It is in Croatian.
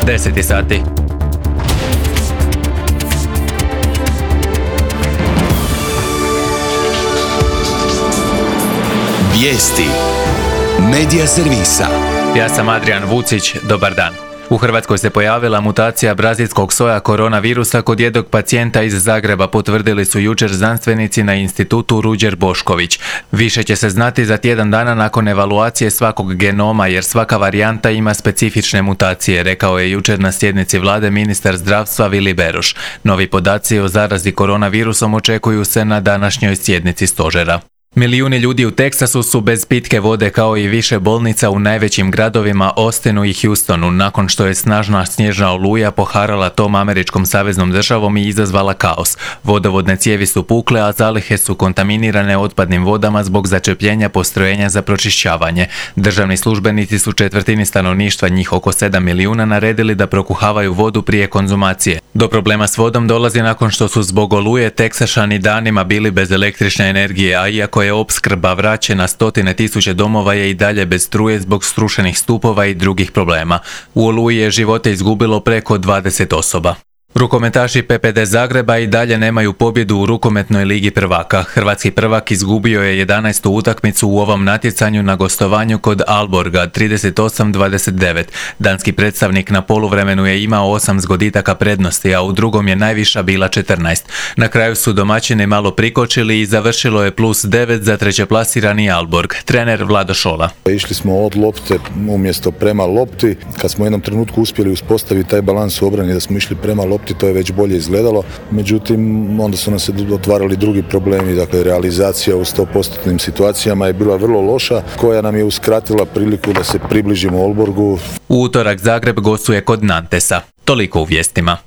10 sati. Vijesti Medija servisa. Ja sam Adrian Vucić, dobar dan. U Hrvatskoj se pojavila mutacija brazilskog soja koronavirusa kod jednog pacijenta iz Zagreba, potvrdili su jučer znanstvenici na institutu Ruđer Bošković. Više će se znati za tjedan dana nakon evaluacije svakog genoma, jer svaka varijanta ima specifične mutacije, rekao je jučer na sjednici vlade ministar zdravstva Vili Beroš. Novi podaci o zarazi koronavirusom očekuju se na današnjoj sjednici stožera. Milijuni ljudi u Teksasu su bez pitke vode, kao i više bolnica u najvećim gradovima Austinu i Houstonu, nakon što je snažna snježna oluja poharala tom američkom saveznom državom i izazvala kaos. Vodovodne cijevi su pukle, a zalihe su kontaminirane otpadnim vodama zbog začepljenja postrojenja za pročišćavanje. Državni službenici su četvrtini stanovništva, njih oko 7 milijuna, naredili da prokuhavaju vodu prije konzumacije. Do problema s vodom dolazi nakon što su zbog oluje Teksašani danima bili bez električne energije, a iako je opskrba vraćena, stotine tisuće domova je i dalje bez struje zbog srušenih stupova i drugih problema. U oluji je živote izgubilo preko 20 osoba. Rukometaši PPD Zagreba i dalje nemaju pobjedu u rukometnoj ligi prvaka. Hrvatski prvak izgubio je 11. utakmicu u ovom natjecanju na gostovanju kod Aalborga 38-29. Danski predstavnik na poluvremenu je imao 8 zgoditaka prednosti, a u drugom je najviša bila 14. Na kraju su domaćini malo prikočili i završilo je +9 za trećeplasirani Aalborg. Trener Vlado Šola. Išli smo od lopte umjesto prema lopti. Kad smo u jednom trenutku uspjeli uspostaviti taj balans u obrani da smo išli prema lopti, to je već bolje izgledalo. Međutim, onda su nam se otvarali drugi problemi. Dakle, realizacija u 100% situacijama je bila vrlo loša, koja nam je uskratila priliku da se približimo Aalborgu. U utorak Zagreb gostuje kod Nantesa. Toliko u vijestima.